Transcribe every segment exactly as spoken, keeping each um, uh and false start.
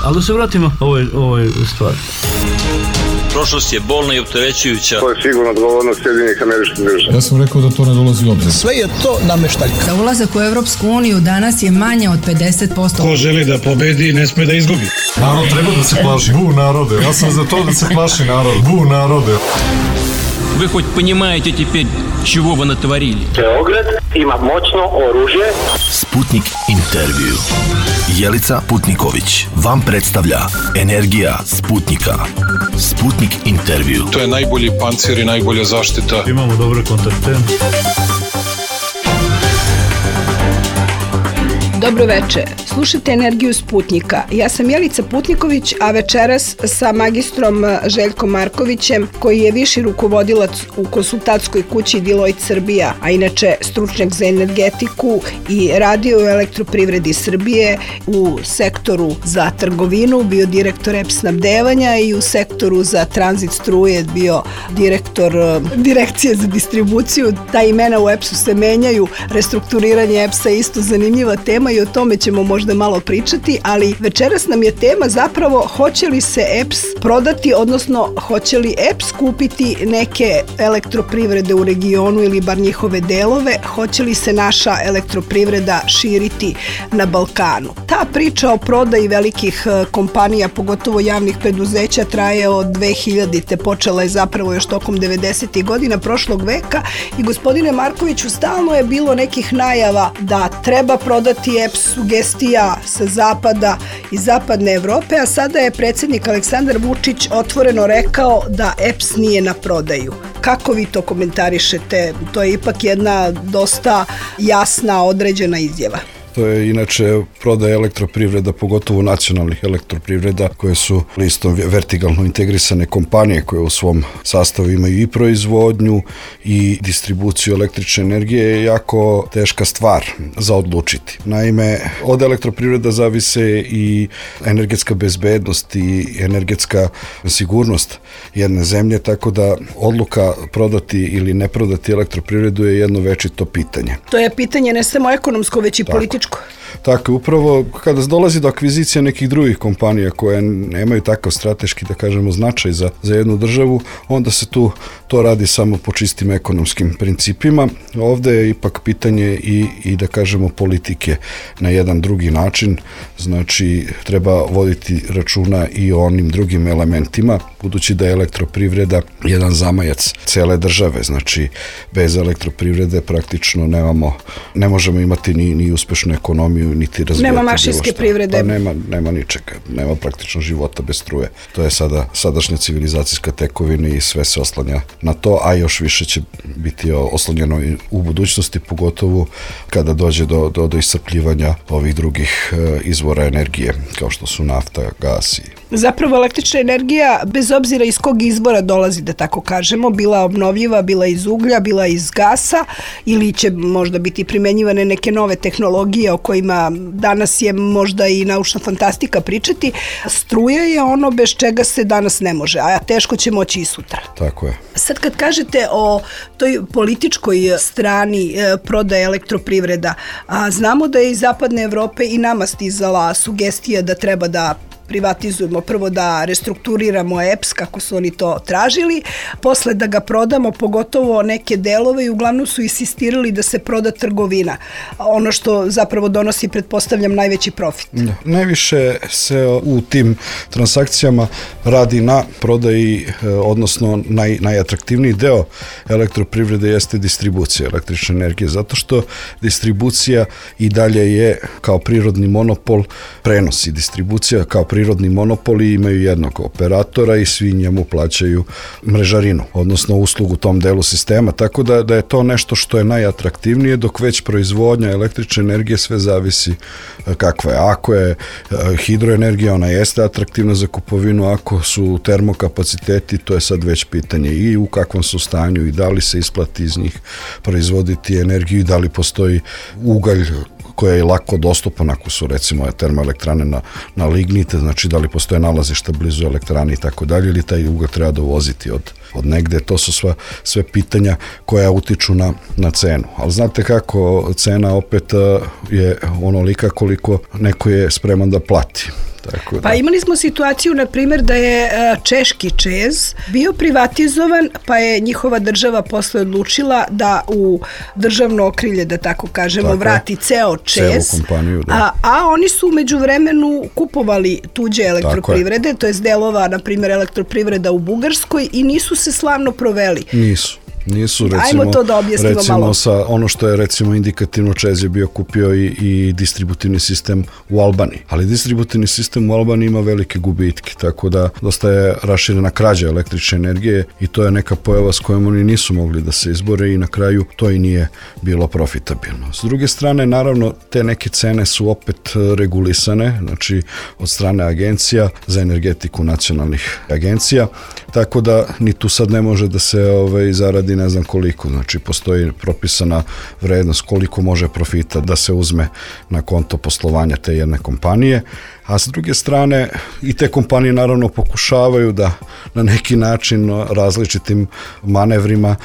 Ali da se vratimo ovoj, ovoj stvari. Prošlost je bolna i opterećujuća. To je sigurno odgovornost Sjedinjenih Američkih Država. Ja sam rekao da to ne dolazi u obzir. Sve je to nameštaljka. Za ulazak u Evropsku uniju danas je manje od pedeset posto. Ko želi da pobedi, ne sme da izgubi. Narod treba da se plaši. Bu narode. Ja sam za to da se plaši narod. Bu narode. Вы хоть понимаете теперь, чего вы натворили? Beograd ima moćno oružje. Sputnik intervju. Jelica Putniković vam predstavlja Energija Sputnika. Sputnik intervju. To je najbolji pancir i najbolja zaštita. Imamo dobre kontakte. Dobro veče, slušate Energiju Sputnika. Ja sam Jelica Putniković, a večeras sa magistrom Željkom Markovićem, koji je viši rukovodilac u konsultantskoj kući Deloitte Srbija, a inače stručnjak za energetiku i radio u Elektroprivredi Srbije, u sektoru za trgovinu, bio direktor E P S snabdevanja i u sektoru za tranzit struje bio direktor direkcije za distribuciju. Ta imena u E P S-u se menjaju, restrukturiranje E P S-a je isto zanimljiva tema i o tome ćemo možda malo pričati, ali večeras nam je tema zapravo hoće li se E P S prodati, odnosno hoće li E P S kupiti neke elektroprivrede u regionu ili bar njihove delove, hoće li se naša elektroprivreda širiti na Balkanu. Ta priča o prodaji velikih kompanija, pogotovo javnih preduzeća, traje od dve hiljadite. Počela je zapravo još tokom devedesetih godina prošlog veka i gospodine Markoviću, stalno je bilo nekih najava da treba prodati E P S, sugestija sa zapada i zapadne Evrope, a sada je predsjednik Aleksandar Vučić otvoreno rekao da E P S nije na prodaju. Kako vi to komentarišete? To je ipak jedna dosta jasna, određena izjava. To je inače prodaja elektroprivreda, pogotovo nacionalnih elektroprivreda koje su listom vertikalno integrisane kompanije koje u svom sastavu imaju i proizvodnju i distribuciju električne energije, je jako teška stvar za odlučiti. Naime, od elektroprivreda zavise i energetska bezbednost i energetska sigurnost jedne zemlje, tako da odluka prodati ili ne prodati elektroprivredu je jedno večito pitanje. To je pitanje ne samo ekonomsko, već i tako. Političko. Tako, upravo kada dolazi do akvizicije nekih drugih kompanija koje nemaju takav strateški, da kažemo, značaj za, za jednu državu, onda se tu to radi samo po čistim ekonomskim principima. Ovde je ipak pitanje i, i da kažemo politike na jedan drugi način, znači treba voditi računa i o onim drugim elementima, budući da je elektroprivreda jedan zamajac cele države, znači bez elektroprivrede praktično nemamo, ne možemo imati ni, ni uspešnu ekonomiju, niti razvijati. Nema mašinske privrede. Pa nema, nema ničega, nema praktično života bez struje. To je sada sadašnja civilizacijska tekovina i sve se oslanja na to, a još više će biti oslonjeno i u budućnosti, pogotovo kada dođe do, do, do iscrpljivanja ovih drugih e, izvora energije, kao što su nafta, gas i... Zapravo električna energija, bez obzira iz kog izvora dolazi, da tako kažemo, bila obnovljiva, bila iz uglja, bila iz gasa, ili će možda biti primenjivane neke nove tehnologije o kojima danas je možda i naučna fantastika pričati, struja je ono bez čega se danas ne može, a teško će moći i sutra. Tako je. Sad kad kažete o toj političkoj strani e, prodaje elektroprivreda, a znamo da je iz zapadne Evrope i nama stizala sugestija da treba da privatizujemo, prvo da restrukturiramo E P S kako su oni to tražili, posle da ga prodamo, pogotovo neke delove, i uglavnom su insistirali da se proda trgovina, ono što zapravo donosi, pretpostavljam, najveći profit. Da. Najviše se u tim transakcijama radi na prodaji, odnosno naj, najatraktivniji deo elektroprivrede jeste distribucija električne energije, zato što distribucija i dalje je kao prirodni monopol, prenos i distribucija kao prirodni monopoli imaju jednog operatora i svi njemu plaćaju mrežarinu, odnosno uslugu u tom delu sistema, tako da, da je to nešto što je najatraktivnije, dok već proizvodnja električne energije sve zavisi kakva je. Ako je hidroenergija, ona jeste atraktivna za kupovinu, ako su termokapaciteti, to je sad već pitanje i u kakvom su stanju i da li se isplati iz njih proizvoditi energiju i da li postoji ugalj koja je lako dostupan ako su recimo termoelektrane na, na lignite, znači da li postoje nalazišta blizu elektrane i tako dalje, ili taj ugalj treba dovoziti od, od negde. To su sva, sve pitanja koja utiču na, na cenu. Ali znate kako, cena opet je onolika koliko neko je spreman da plati. Tako da. Pa imali smo situaciju, na primjer, da je češki ČEZ bio privatizovan, pa je njihova država posle odlučila da u državno okrilje, da tako kažemo, tako vrati ceo ČEZ, kompaniju, da. a, a oni su umeđu vremenu kupovali tuđe elektroprivrede, to je delova, na primjer, elektroprivreda u Bugarskoj, i nisu se slavno proveli. Nisu. Nisu, recimo, Ajmo to da objasnimo recimo malo. Sa ono što je recimo indikativno, ČEZ je bio kupio i, i distributivni sistem u Albaniji, ali distributivni sistem u Albaniji ima velike gubitke, tako da dosta je raširena krađa električne energije i to je neka pojava s kojom oni nisu mogli da se izbore i na kraju to i nije bilo profitabilno. S druge strane, naravno, te neke cene su opet regulisane, znači od strane agencija za energetiku, nacionalnih agencija, tako da ni tu sad ne može da se ovaj, zaradi ne znam koliko, znači postoji propisana vrednost koliko može profita da se uzme na konto poslovanja te jedne kompanije, a s druge strane i te kompanije naravno pokušavaju da na neki način različitim manevrima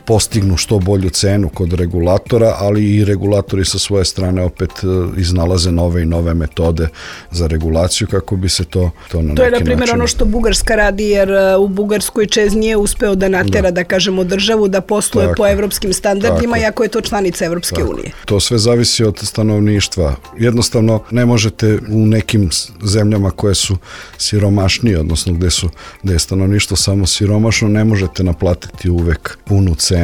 postignu što bolju cenu kod regulatora, ali i regulatori sa svoje strane opet iznalaze nove i nove metode za regulaciju kako bi se to, to na to neki je, na primjer, način... ono što Bugarska radi, jer u Bugarskoj ČEZ nije uspeo da natera, da, da kažemo, državu da posluje tako po evropskim standardima, tako, iako je to članica Evropske tako. unije. To sve zavisi od stanovništva. Jednostavno, ne možete u nekim zemljama koje su siromašnije, odnosno gde, su, gde je stanovništvo samo siromašno, ne možete naplatiti uvek punu cenu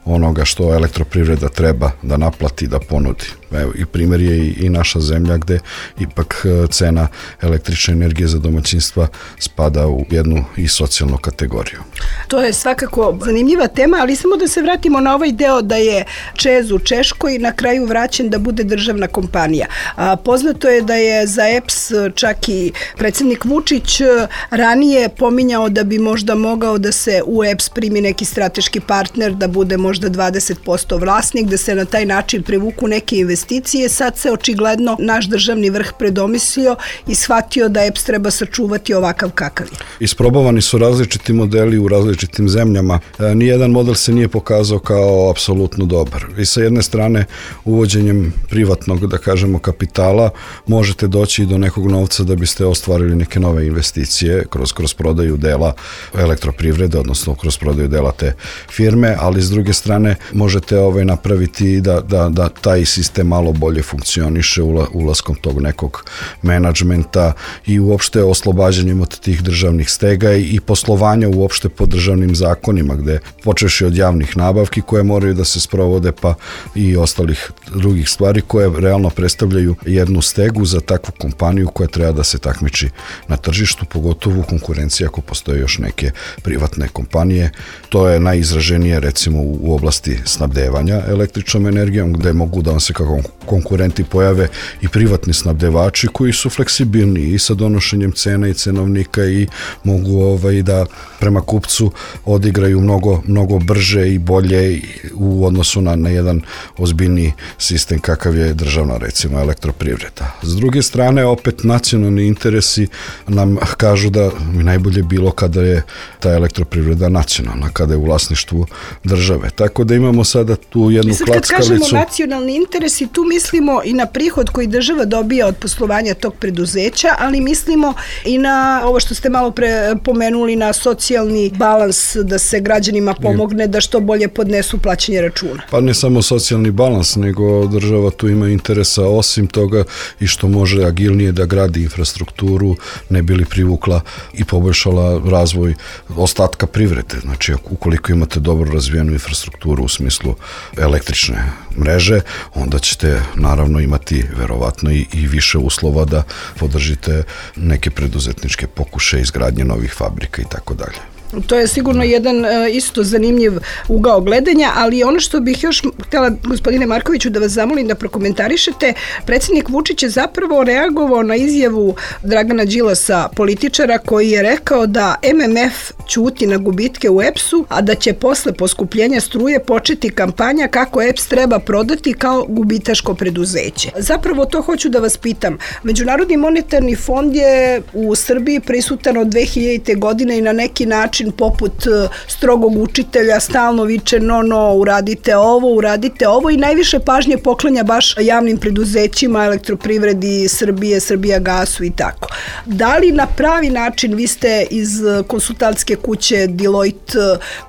onoga što elektroprivreda treba da naplati, da ponudi. Evo, i primjer je i, i naša zemlja gde ipak cena električne energije za domaćinstva spada u jednu i socijalnu kategoriju. To je svakako zanimljiva tema, ali samo da se vratimo na ovaj deo da je ČEZ u Češkoj na kraju vraćen da bude državna kompanija. A, poznato je da je za E P S čak i predsjednik Vučić ranije pominjao da bi možda mogao da se u E P S primi neki strateški partner, da bude možda dvadeset posto vlasnik, da se na taj način privuku neke investicije. Sad se očigledno naš državni vrh predomislio i shvatio da E P S treba sačuvati ovakav kakav je. Isprobavani su različiti modeli u različitim zemljama. E, nijedan model se nije pokazao kao apsolutno dobar. I sa jedne strane, uvođenjem privatnog, da kažemo, kapitala, možete doći do nekog novca da biste ostvarili neke nove investicije kroz, kroz prodaju dela elektroprivrede, odnosno kroz prodaju dela te firme, ali s druge strane možete ovaj napraviti da, da, da taj sistem malo bolje funkcioniše ulaskom tog nekog menadžmenta i uopšte oslobađanjem od tih državnih stega i poslovanja uopšte po državnim zakonima, gde počeši od javnih nabavki koje moraju da se sprovode, pa i ostalih drugih stvari koje realno predstavljaju jednu stegu za takvu kompaniju koja treba da se takmiči na tržištu, pogotovo u konkurenciji ako postoje još neke privatne kompanije. To je najizraženije recimo u oblasti snabdevanja električnom energijom, gde mogu da vam se kako konkurenti pojave i privatni snabdevači koji su fleksibilni i sa donošenjem cena i cenovnika i mogu ovaj da prema kupcu odigraju mnogo, mnogo brže i bolje u odnosu na, na jedan ozbiljni sistem kakav je državna recimo elektroprivreda. S druge strane, opet nacionalni interesi nam kažu da bi najbolje bilo kada je ta elektroprivreda nacionalna, kada je u vlasništvu države. Tako da imamo sada tu jednu klackalicu. Kad kažemo nacionalni interesi, tu mislimo i na prihod koji država dobija od poslovanja tog preduzeća, ali mislimo i na ovo što ste malo pre pomenuli, na socijalni balans, da se građanima pomogne da što bolje podnesu plaćanje računa. Pa ne samo socijalni balans, nego država tu ima interesa osim toga i što može agilnije da gradi infrastrukturu, ne bi li privukla i poboljšala razvoj ostatka privrede. Znači, ukoliko imate dobro razvijenu infrastrukturu u smislu električne mreže, onda ćete naravno imati verovatno i, i više uslova da podržite neke preduzetničke pokušaje izgradnje novih fabrika i tako dalje. To je sigurno jedan isto zanimljiv ugao gledanja, ali ono što bih još htjela, gospodine Markoviću, da vas zamolim da prokomentarišete, predsjednik Vučić je zapravo reagovao na izjavu Dragana Đilasa, političara, koji je rekao da M M F ćuti na gubitke u E P S-u, a da će posle poskupljenja struje početi kampanja kako E P S treba prodati kao gubitaško preduzeće. Zapravo to hoću da vas pitam. Međunarodni monetarni fond je u Srbiji prisutan od dve hiljadite. godine i na neki način poput strogog učitelja stalno viče no, no, uradite ovo, uradite ovo i najviše pažnje poklanja baš javnim preduzećima, Elektroprivredi Srbije, Srbijagasu i tako. Da li na pravi način, vi ste iz konsultantske kuće Deloitte,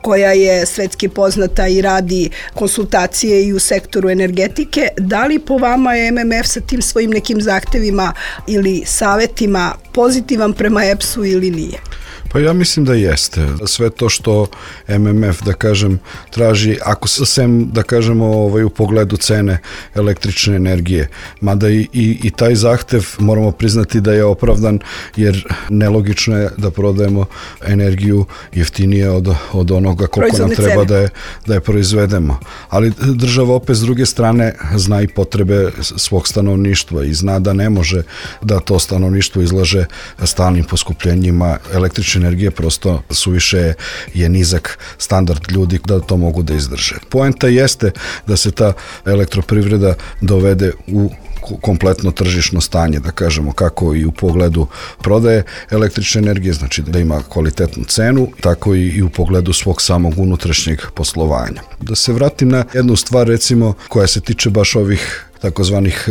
koja je svetski poznata i radi konsultacije i u sektoru energetike, da li po vama je M M F sa tim svojim nekim zahtevima ili savetima pozitivan prema E P S-u ili nije? Pa ja mislim da jeste. Sve to što M M F, da kažem, traži, ako se sem, da kažemo, ovaj, u pogledu cene električne energije, mada i, i, i taj zahtev moramo priznati da je opravdan, jer nelogično je da prodajemo energiju jeftinije od, od onoga koliko Proizvodne nam treba da je, da je proizvedemo. Ali država opet s druge strane zna i potrebe svog stanovništva i zna da ne može da to stanovništvo izlaže stalnim poskupljenjima električne energije, prosto suviše je nizak standard ljudi da to mogu da izdrže. Poenta jeste da se ta elektroprivreda dovede u kompletno tržišno stanje, da kažemo, kako i u pogledu prodaje električne energije, znači da ima kvalitetnu cenu, tako i u pogledu svog samog unutrašnjeg poslovanja. Da se vratim na jednu stvar, recimo, koja se tiče baš ovih takozvanih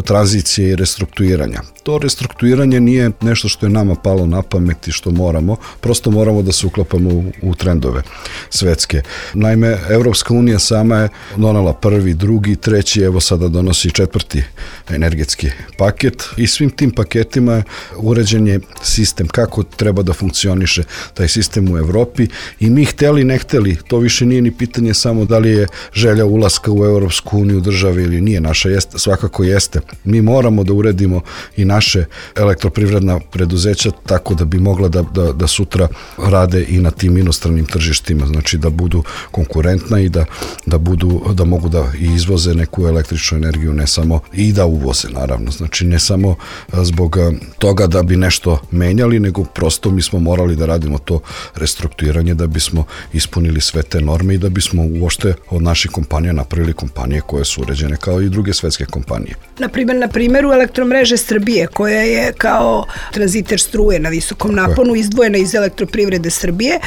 tranzicije i restrukturiranja. To restrukturiranje nije nešto što je nama palo na pamet i što moramo, prosto moramo da se uklapamo u, u trendove svetske. Naime, Evropska unija sama je donela prvi, drugi, treći, evo sada donosi četvrti energetski paket i svim tim paketima je uređen je sistem kako treba da funkcioniše taj sistem u Evropi i mi hteli, ne hteli, to više nije ni pitanje samo da li je želja ulaska u Evropsku uniju države ili nije, naša jeste, svakako jeste. Mi moramo da uredimo i naše elektroprivredna preduzeća tako da bi mogla da, da, da sutra rade i na tim inostranim tržištima, znači da budu konkurentna i da, da, budu, da mogu da izvoze neku električnu energiju, ne samo i da uvoze, naravno. Znači ne samo zbog toga da bi nešto menjali, nego prosto mi smo morali da radimo to restrukturiranje da bismo ispunili sve te norme i da bismo uopšte od naših kompanija napravili kompanije koje su uređene kao i druge svetske kompanije. Na primjer, na primjeru Elektromreže Srbije, koja je kao tranziter struje na visokom naponu izdvojena iz Elektroprivrede Srbije,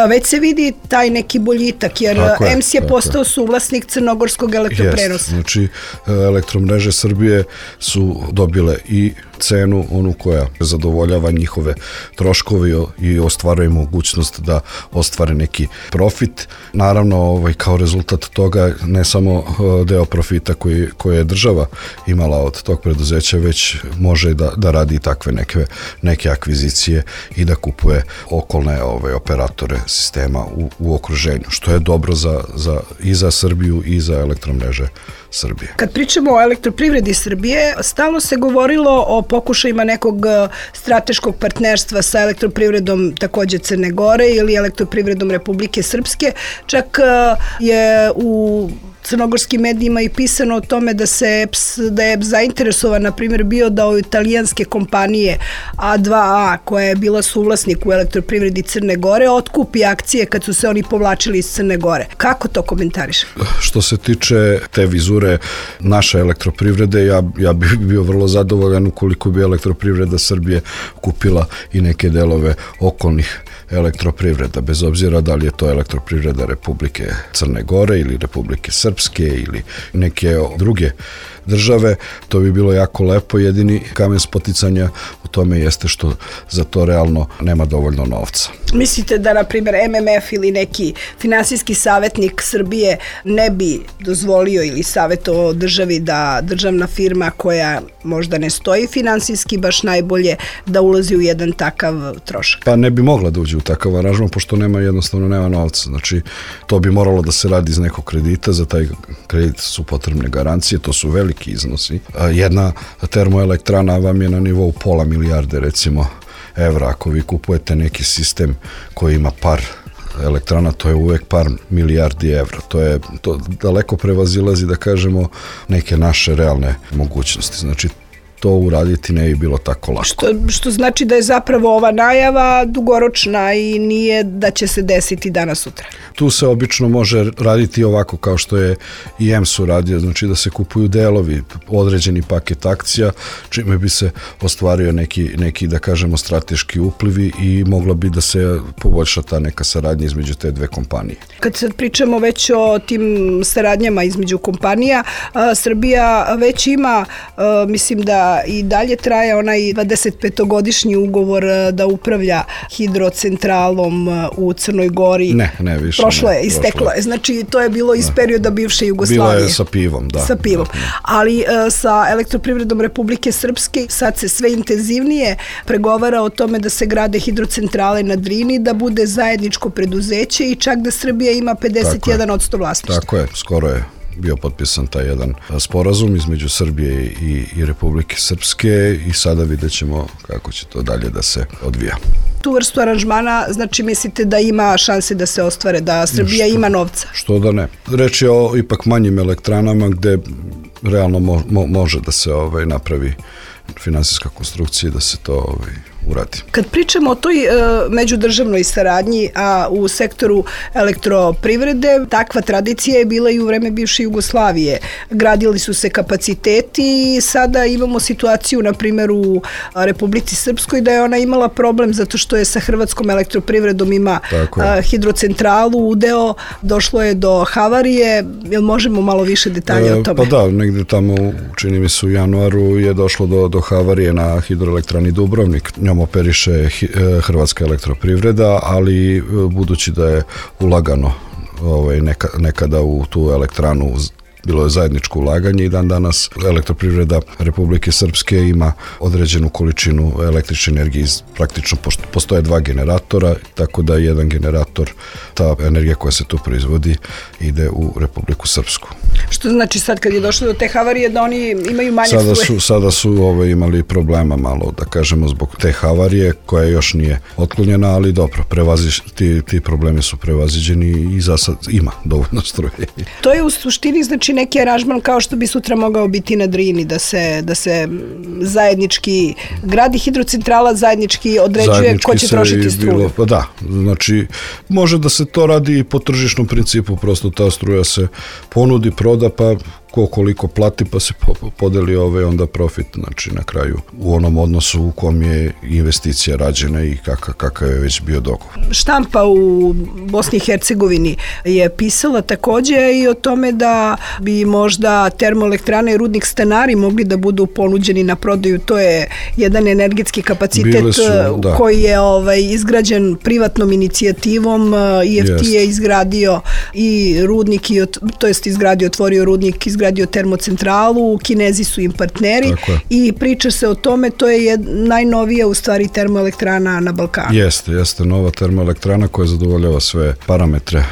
već se vidi taj neki boljitak, jer E M S je postao suvlasnik crnogorskog elektroprenosa. Jest, znači Elektromreže Srbije su dobile i cenu, onu koja zadovoljava njihove troškove i ostvaruje mogućnost da ostvare neki profit. Naravno, ovaj, kao rezultat toga ne samo deo profita koji, koji je država imala od tog preduzeća, već može da, da radi takve neke, neke akvizicije i da kupuje okolne ove, operatore sistema u, u okruženju, što je dobro za, za, i za Srbiju i za Elektromreže Srbije. Kad pričamo o Elektroprivredi Srbije, stalno se govorilo o pokušajima nekog strateškog partnerstva sa Elektroprivredom takođe Crne Gore ili Elektroprivredom Republike Srpske. Čak je u crnogorskim medijima i pisano o tome da se E P S, da je E P S zainteresovan, na primjer, bio da od italijanske kompanije A dva A, koja je bila suvlasnik u Elektroprivredi Crne Gore, otkupi akcije kad su se oni povlačili iz Crne Gore. Kako to komentariš? Što se tiče te vizure naše elektroprivrede, ja, ja bih bio vrlo zadovoljan ukoliko bi Elektroprivreda Srbije kupila i neke delove okolnih elektroprivreda, bez obzira da li je to Elektroprivreda Republike Crne Gore ili Republike Srpske ili neke druge države, to bi bilo jako lepo. Jedini kamen spoticanja u tome jeste što za to realno nema dovoljno novca. Mislite da, na primjer, M M F ili neki finansijski savjetnik Srbije ne bi dozvolio ili savjetovao državi da državna firma koja možda ne stoji finansijski baš najbolje da ulazi u jedan takav trošak? Pa ne bi mogla da uđe u takav aranžman, pošto nema, jednostavno nema novca. Znači, to bi moralo da se radi iz nekog kredita, za taj kredit su potrebne garancije, to su veliki iznosi. Jedna termoelektrana vam je na nivou pola milijarde, recimo, evra. Ako vi kupujete neki sistem koji ima par elektrana, to je uvek par milijardi evra. To je, to daleko prevazilazi, da kažemo, neke naše realne mogućnosti. Znači, to uraditi ne bi bilo tako lako. Što, što znači da je zapravo ova najava dugoročna i nije da će se desiti danas sutra. Tu se obično može raditi ovako kao što je i E M S uradio, znači da se kupuju delovi, određeni paket akcija, čime bi se ostvario neki, neki da kažemo, strateški uplivi i mogla bi da se poboljša ta neka saradnja između te dve kompanije. Kad sad pričamo već o tim saradnjama između kompanija, a, Srbija već ima, a, mislim da i dalje traje onaj dvadesetpetogodišnji ugovor da upravlja hidrocentralom u Crnoj Gori. Ne, ne, više Prošlo ne, je, isteklo je. Znači, to je bilo iz perioda bivše Jugoslavije. Bilo je sa pivom, da. Sa pivom. Ali sa Elektroprivredom Republike Srpske sad se sve intenzivnije pregovara o tome da se grade hidrocentrale na Drini, da bude zajedničko preduzeće i čak da Srbija ima pedeset jedan posto vlasništva. Tako je, skoro je bio potpisan taj jedan sporazum između Srbije i, i Republike Srpske i sada vidjet ćemo kako će to dalje da se odvija. Tu vrstu aranžmana, znači mislite da ima šanse da se ostvare, da Srbija što, ima novca? Što da ne. Reč je o ipak manjim elektranama gde realno mo, mo, može da se ovaj, napravi finansijska konstrukcija, da se to ovaj, uradi. Kad pričamo o toj e, međudržavnoj saradnji, a u sektoru elektroprivrede, takva tradicija je bila i u vreme bivše Jugoslavije. Gradili su se kapaciteti i sada imamo situaciju, na primjer, u Republici Srpskoj, da je ona imala problem zato što je sa Hrvatskom elektroprivredom ima a, hidrocentralu, udeo, došlo je do havarije. Jel možemo malo više detalje e, o tome? Pa da, negdje tamo, čini mi se u januaru, je došlo do, do havarije na hidroelektrani Dubrovnik. Njom operiše Hrvatska elektroprivreda, ali budući da je ulagano ovaj, neka, nekada u tu elektranu, bilo je zajedničko ulaganje i dan danas Elektroprivreda Republike Srpske ima određenu količinu električne energije. Praktično postoje dva generatora, tako da jedan generator, ta energija koja se tu proizvodi, ide u Republiku Srpsku. Što znači sad kad je došlo do te havarije da oni imaju manje sada struje? Su, sada su ovaj, imali problema malo, da kažemo, zbog te havarije koja još nije otklonjena, ali dobro, prevaziš, ti, ti problemi su prevaziđeni i za sad ima dovoljno struje. To je u suštini znači neki aranžman kao što bi sutra mogao biti na Drini, da se, da se zajednički gradi hidrocentrala, zajednički određuje zajednički ko će trošiti struju. Bilo, pa da, znači može da se to radi i po tržišnom principu, prosto ta struja se ponudi, proda, pa ko koliko plati, pa se podeli ove onda profit, znači na kraju u onom odnosu u kom je investicija rađena i kakav, kakav je već bio dogovor. Štampa u Bosni i Hercegovini je pisala takođe i o tome da bi možda termoelektrane i rudnik Stanari mogli da budu ponuđeni na prodaju. To je jedan energetski kapacitet su, koji je ovaj, izgrađen privatnom inicijativom. I F T Jest. je izgradio i rudnik, i, to jest izgradio, otvorio rudnik, izgradio termocentralu, Kinezi su im partneri i priča se o tome, to je jed, najnovija u stvari termoelektrana na Balkanu. Jeste, jeste nova termoelektrana koja zadovoljava sve parametre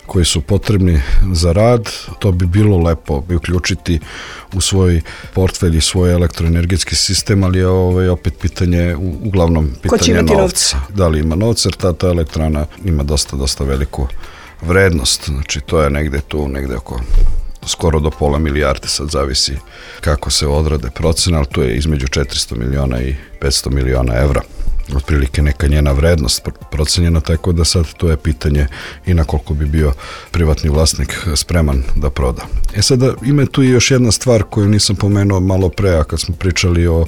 koji su potrebni za rad. To bi bilo lepo bi uključiti u svoj portfelj i svoj elektroenergetski sistem, ali je ovaj opet pitanje, uglavnom pitanje novca. novca. Da li ima novca, jer ta, ta elektrana ima dosta, dosta veliku vrednost. Znači to je negde tu, negde oko skoro do pola milijarde, sad zavisi kako se odrade procena, ali tu je između četiristo miliona i petsto miliona evra. Otprilike neka njena vrednost procenjena, tako da sad to je pitanje i na koliko bi bio privatni vlasnik spreman da proda. E sada ima tu i još jedna stvar koju nisam pomenuo malo pre, a kad smo pričali o,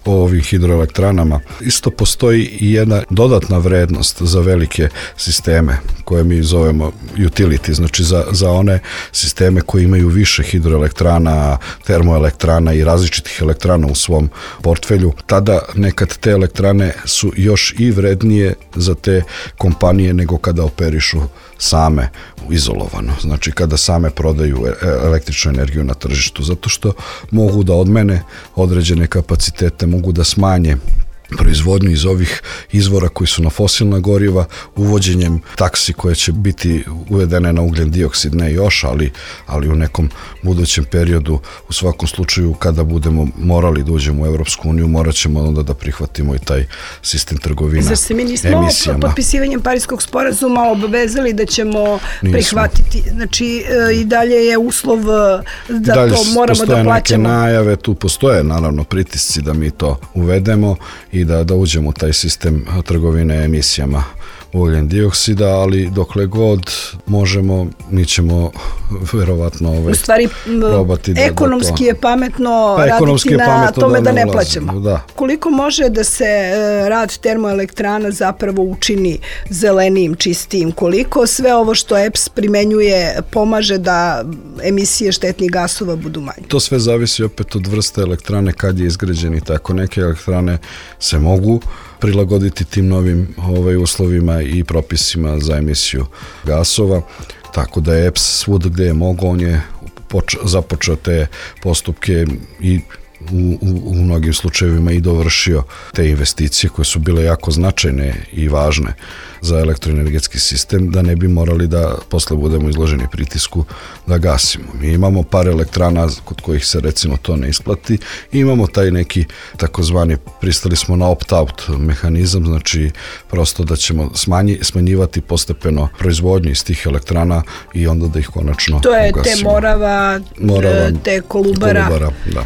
o ovim hidroelektranama. Isto postoji i jedna dodatna vrednost za velike sisteme koje mi zovemo utility, znači za, za one sisteme koji imaju više hidroelektrana, termoelektrana i različitih elektrana u svom portfelju. Tada nekad te elektrane su još i vrednije za te kompanije nego kada operišu same izolovano. Znači kada same prodaju električnu energiju na tržištu, zato što mogu da odmene određene kapacitete, mogu da smanje proizvodnju iz ovih izvora koji su na fosilna goriva, uvođenjem taksi koje će biti uvedene na ugljen dioksid, ne još, ali, ali u nekom budućem periodu, u svakom slučaju kada budemo morali da uđemo u Evropsku uniju, morat ćemo onda da prihvatimo i taj sistem trgovina emisijama. Zar se mi nismo potpisivanjem Pariskog sporazuma obavezali da ćemo nismo. prihvatiti, znači i dalje je uslov da dalje to moramo da plaćamo? Neke najave, tu postoje naravno pritisci da mi to uvedemo i da, da uđemo u taj sistem trgovine emisijama ugljen dioksida, ali dokle god možemo, mi ćemo verovatno ovaj, u stvari, probati da, ekonomski da to... je pametno pa, raditi je pametno na tome da, da ne, ne plaćamo. Da. Koliko može da se rad termoelektrana zapravo učini zelenijim, čistijim? Koliko sve ovo što E P S primenjuje pomaže da emisije štetnih gasova budu manje? To sve zavisi opet od vrste elektrane, kad je izgrađen i tako. Neke elektrane se mogu prilagoditi tim novim ovaj, uslovima i propisima za emisiju gasova, tako da je E P S svud gde je mogao, on je poč- započeo te postupke i u, u, u mnogim slučajevima i dovršio te investicije koje su bile jako značajne i važne za elektroenergetski sistem, da ne bi morali da posle budemo izloženi pritisku da gasimo. Mi imamo par elektrana kod kojih se recimo to ne isplati i imamo taj neki takozvani, pristali smo na opt-out mehanizam, znači prosto da ćemo smanji, smanjivati postepeno proizvodnju iz tih elektrana i onda da ih konačno ugasimo. To je ugasimo. te Morava, Morava te Kolubara. Kolubara, da.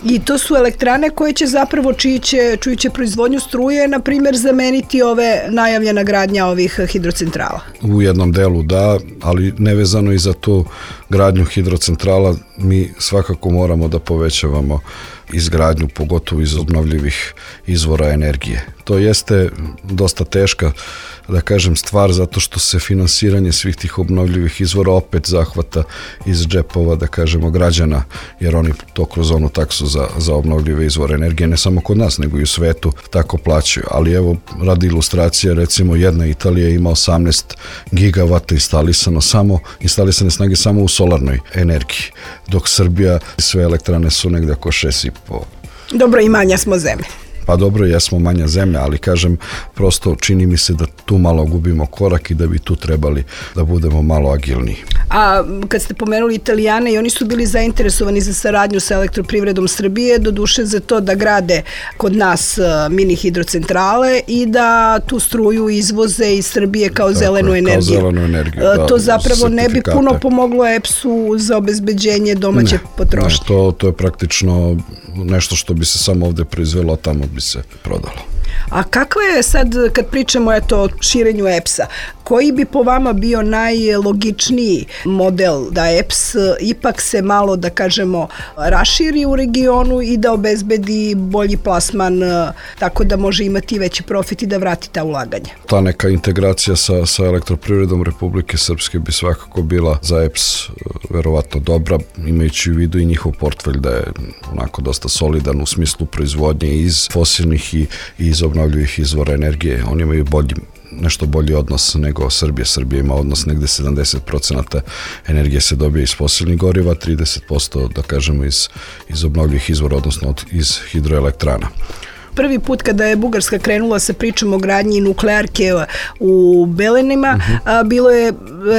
I to su elektrane koje će zapravo, čiji će, čiji će proizvodnju struje, na primjer, zameniti ove najavljena gradnja ovih hidrocentrala? U jednom delu da, ali nevezano i za tu gradnju hidrocentrala, mi svakako moramo da povećavamo izgradnju, pogotovo iz obnovljivih izvora energije. To jeste dosta teška, da kažem, stvar, zato što se finansiranje svih tih obnovljivih izvora opet zahvata iz džepova, da kažemo, građana, jer oni to kroz onu taksu za, za obnovljive izvore energije, ne samo kod nas, nego i u svetu, tako plaćaju. Ali evo, radi ilustracije, recimo jedna Italija ima osamnaest gigavata instalisano samo, instalisane snage samo u solarnoj energiji, dok Srbija, sve elektrane su negde oko šest i po. Dobro, i manja smo zemlje. Pa dobro, jesmo manja zemlja, ali kažem, prosto čini mi se da tu malo gubimo korak i da bi tu trebali da budemo malo agilniji. A kad ste pomenuli Italijane, i oni su bili zainteresovani za saradnju sa Elektroprivredom Srbije, doduše za to da grade kod nas mini hidrocentrale i da tu struju izvoze iz Srbije kao Tako zelenu je, energiju. Kao zelenu energiju, da, to zapravo ne bi puno pomoglo E P S-u za obezbeđenje domaće ne, potrošnje. Ne, to, to je praktično nešto što bi se samo ovde proizvelo, a tamo bi se prodalo. A kakva je sad, kad pričamo eto, o širenju E P S-a, koji bi po vama bio najlogičniji model da E P S ipak se malo, da kažemo, raširi u regionu i da obezbedi bolji plasman, tako da može imati veći profit i da vrati ta ulaganja? Ta neka integracija sa, sa Elektroprivredom Republike Srpske bi svakako bila za E P S verovatno dobra, imajući u vidu i njihov portfelj da je onako dosta solidan u smislu proizvodnje iz fosilnih i, i iz obnovljivih izvora energije. Oni imaju bolji, nešto bolji odnos nego Srbija. Srbija ima odnos negde sedamdeset procenata energije se dobije iz fosilnih goriva, trideset posto da kažemo iz, iz obnovljivih izvora, odnosno od, iz hidroelektrana. Prvi put kada je Bugarska krenula sa pričom o gradnji nuklearke u Belenima, uh-huh. bilo je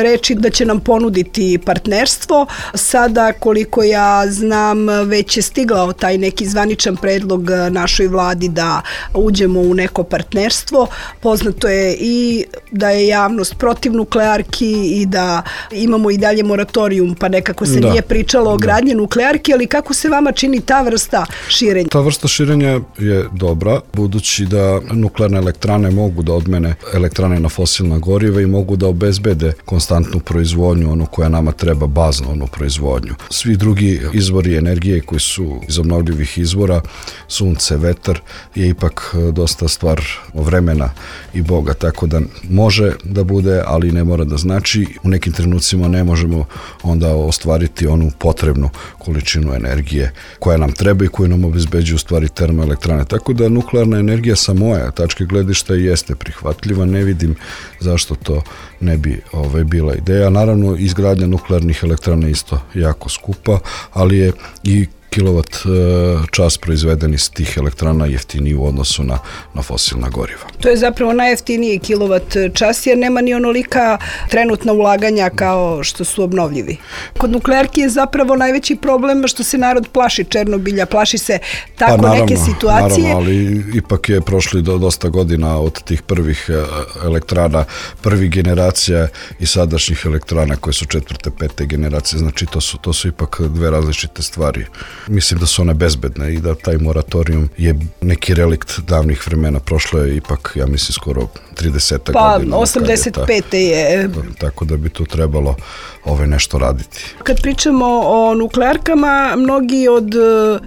reči da će nam ponuditi partnerstvo. Sada, koliko ja znam, već je stigao taj neki zvaničan predlog našoj vladi da uđemo u neko partnerstvo. Poznato je i da je javnost protiv nuklearki i da imamo i dalje moratorijum, pa nekako se da. nije pričalo o gradnji da. nuklearki, ali kako se vama čini ta vrsta širenja? Ta vrsta širenja je dobra, budući da nuklearne elektrane mogu da odmene elektrane na fosilna goriva i mogu da obezbede konstantnu proizvodnju, onu koja nama treba, baznu onu proizvodnju. Svi drugi izvori energije koji su iz obnovljivih izvora, sunce, vetar, je ipak dosta stvar vremena i Boga, tako da može da bude, ali ne mora da znači. U nekim trenucima ne možemo onda ostvariti onu potrebnu količinu energije koja nam treba i koju nam obezbeđuju u stvari termoelektrane. Tako da nuklearna energija sa moje tačke gledišta jeste prihvatljiva, ne vidim zašto to ne bi ovaj, bila ideja. Naravno, izgradnja nuklearnih elektrana isto jako skupa, ali je i kilovat čas proizveden iz tih elektrana jeftiniji u odnosu na, na fosilna goriva. To je zapravo najjeftiniji kilovat čas jer nema ni onolika trenutna ulaganja kao što su obnovljivi. Kod nuklearki je zapravo najveći problem što se narod plaši Černobilja, plaši se tako pa, naravno, neke situacije. Naravno, ali ipak je prošli do dosta godina od tih prvih elektrana, prvih generacija i sadašnjih elektrana koje su četvrte, pete generacije, znači to su, to su ipak dve različite stvari. Mislim da su one bezbedne i da taj moratorium je neki relikt davnih vremena. Prošlo je ipak, ja mislim, skoro trideset pa, godina. Pa, osamdeset pete je. Tako da bi tu trebalo ove nešto raditi. Kad pričamo o nuklearkama, mnogi od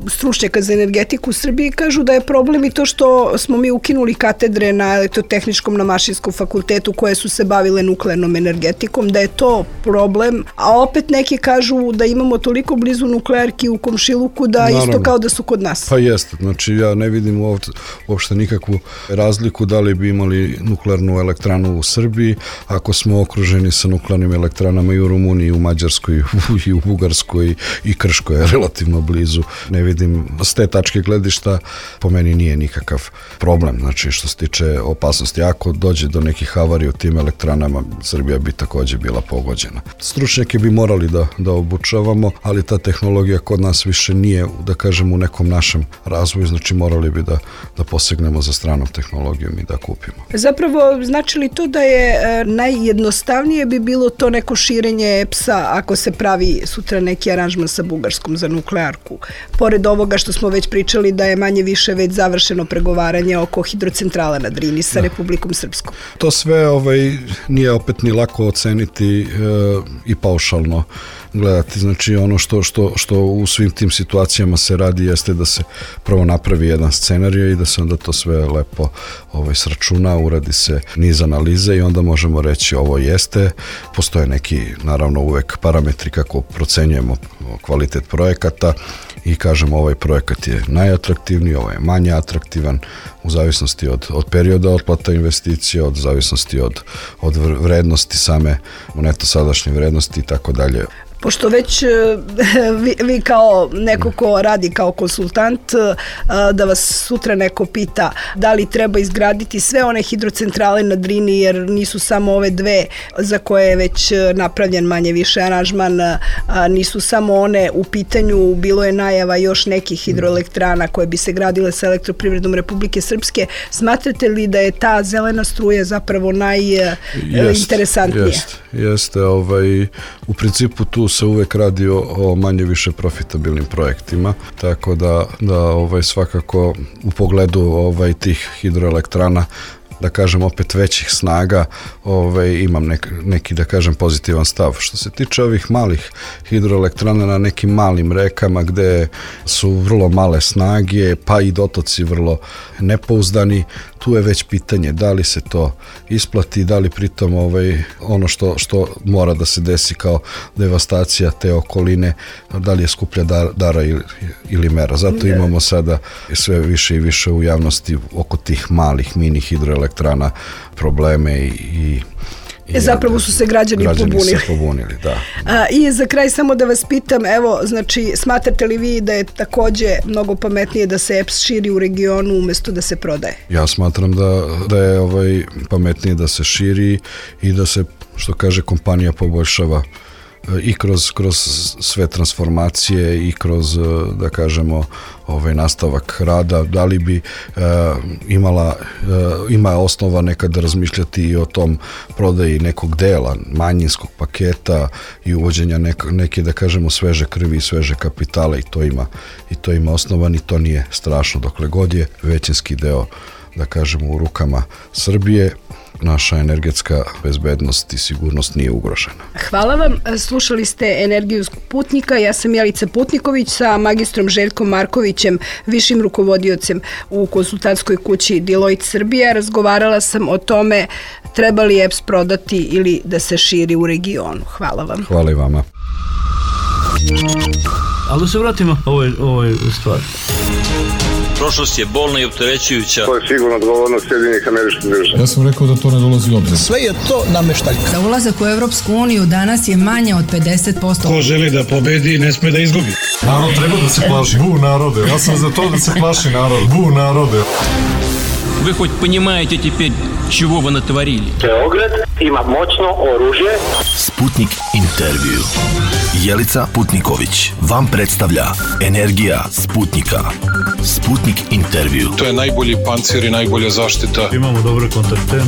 stručnjaka za energetiku u Srbiji kažu da je problem i to što smo mi ukinuli katedre na elektrotehničkom, na Mašinskom fakultetu koje su se bavile nuklearnom energetikom, da je to problem, a opet neki kažu da imamo toliko blizu nuklearki u komšiluku da Naravno. Isto kao da su kod nas. Pa jeste, znači ja ne vidim uopšte, uopšte nikakvu razliku da li bi imali nuklearnu elektranu u Srbiji ako smo okruženi sa nuklearnim elektranama i u Rumuniji, i u Mađarskoj, i u Bugarskoj, i Krškoj je relativno blizu. Ne vidim, s te tačke gledišta po meni nije nikakav problem, znači što se tiče opasnosti. Ako dođe do nekih havarija u tim elektranama, Srbija bi takođe bila pogođena. Stručnjake bi morali da, da obučavamo, ali ta tehnologija kod nas više nije, da kažem, u nekom našem razvoju, znači morali bi da, da posegnemo za stranom tehnologijom i da kupimo. Zapravo, znači li to da je e, najjednostavnije bi bilo to neko širenje E P S-a ako se pravi sutra neki aranžman sa Bugarskom za nuklearku? Pored ovoga što smo već pričali da je manje više već završeno pregovaranje oko hidrocentrala na Drini sa da. Republikom Srpskom. To sve ovaj, nije opet ni lako oceniti e, i paušalno gledati. Znači ono što, što, što u svim tim situacijama se radi jeste da se prvo napravi jedan scenarij i da se onda to sve lepo ovaj, sračuna, uradi se niz analize i onda možemo reći ovo jeste. Postoje neki, naravno, uvek parametri kako procenjujemo kvalitet projekata i kažemo ovaj projekat je najatraktivniji, ovaj je manje atraktivan u zavisnosti od, od perioda otplata investicija, od zavisnosti od, od vrednosti same neto sadašnje vrednosti i tako dalje. Pošto već vi, vi kao neko ko radi kao konsultant, da vas sutra neko pita da li treba izgraditi sve one hidrocentrale na Drini, jer nisu samo ove dve za koje je već napravljen manje više aranžman, nisu samo one u pitanju, bilo je najava još nekih hidroelektrana koje bi se gradile sa Elektroprivredom Republike Srpske. Smatrate li da je ta zelena struja zapravo najinteresantnija? Jeste, jeste. Ovaj, u principu tu se uvek radi o, o manje više profitabilnim projektima, tako da, da ovaj, svakako u pogledu ovaj, tih hidroelektrana, da kažem opet većih snaga, ovaj, imam nek, neki, da kažem, pozitivan stav. Što se tiče ovih malih hidroelektrana na nekim malim rekama gde su vrlo male snage, pa i dotoci vrlo nepouzdani, tu je već pitanje da li se to isplati, da li pritom ovaj, ono što, što mora da se desi kao devastacija te okoline, da li je skuplja dar, dara ili, ili mera. Zato imamo sada sve više i više u javnosti oko tih malih mini hidroelektrana probleme i, i I zapravo su se građani, građani pobunili. Se pobunili, da. A, I za kraj samo da vas pitam, evo, znači, smatrate li vi da je takođe mnogo pametnije da se E P S širi u regionu umesto da se prodaje? Ja smatram da, da je ovaj, pametnije da se širi i da se, što kaže, kompanija poboljšava i kroz, kroz sve transformacije i kroz, da kažemo, ovaj nastavak rada, da li bi e, imala, e, ima osnova nekada razmišljati i o tom prodaji nekog dela, manjinskog paketa i uvođenja nek, neke, da kažemo, sveže krvi i sveže kapitala i to ima, i to ima osnovan i to nije strašno dokle god je većinski deo, da kažemo, u rukama Srbije. Naša energetska bezbednost i sigurnost nije ugrožena. Hvala vam. Slušali ste Energiju Sputnika. Ja sam Jelica Putniković sa magistrom Željkom Markovićem, višim rukovodiocem u konsultantskoj kući Deloitte Srbija. Razgovarala sam o tome treba li E P S prodati ili da se širi u regionu. Hvala vam. Hvala i vama. Ali da se vratimo ovoj, ovoj stvari. Prošlost je bolna i opterećujuća. To je sigurno odgovornost Sjedinjenih Američkih Država. Ja sam rekao da to ne dolazi u obzir. Sve je to nameštaljka. Za ulazak u Evropsku uniju danas je manje od pedeset posto. Ko želi da pobedi, ne sme da izgubi. Narod treba da se plaši. Bu narode. Ja sam za to da se plaši narod. Bu narode. Вы хоть понимаете теперь, чего вы натворили? Beograd ima moćno oružje. Sputnik intervju. Jelica Putniković vam predstavlja Energija Sputnika. Sputnik intervju. To je najbolji pancir i najbolja zaštita. Imamo dobre kontakte.